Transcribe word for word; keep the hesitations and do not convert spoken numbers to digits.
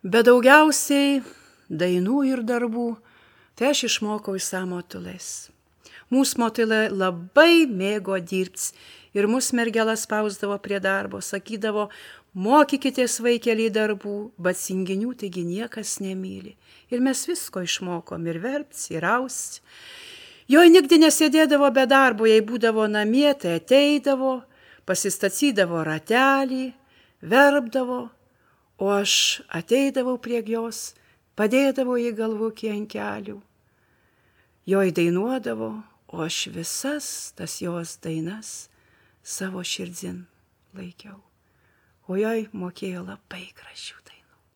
Bet daugiausiai dainų ir darbų tai aš išmokau iš samotulės. Mūsų motulė labai mėgo dirbti ir mūsų mergelas spausdavo prie darbo, sakydavo, mokykitės vaikeliai darbų, bet singinių taigi niekas nemyli. Ir mes visko išmokom ir verpti, ir austi. Joj nikdy nesėdėdavo be darbo, jei būdavo namie, tai ateidavo, pasistacydavo ratelį, verpdavo, o aš ateidavau prie jos, padėdavau į galvukį ant kelių. Joj dainuodavo, o aš visas tas jos dainas savo širdin laikiau. O joj mokėjo labai gražių